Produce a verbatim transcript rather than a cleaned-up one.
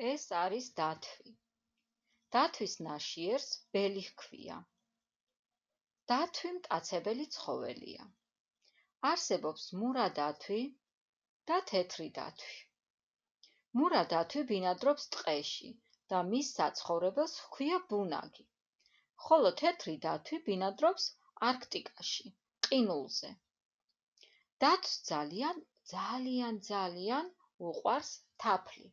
ეს არის დათვი. დათვის ნაშიერს ბელი ჰქვია. დათვი მტაცებელი ცხოველია. არსებობს მურა დათვი და თეთრი დათვი. მურა დათვი ბინადრობს ტყეში და მის საცხოვრებელს ჰქვია ბუნაგი, ხოლო თეთრი დათვი ბინადრობს არქტიკაში, ყინულზე. დათვს ძალიან, ძალიან, ძალიან უყვარს თაფლი.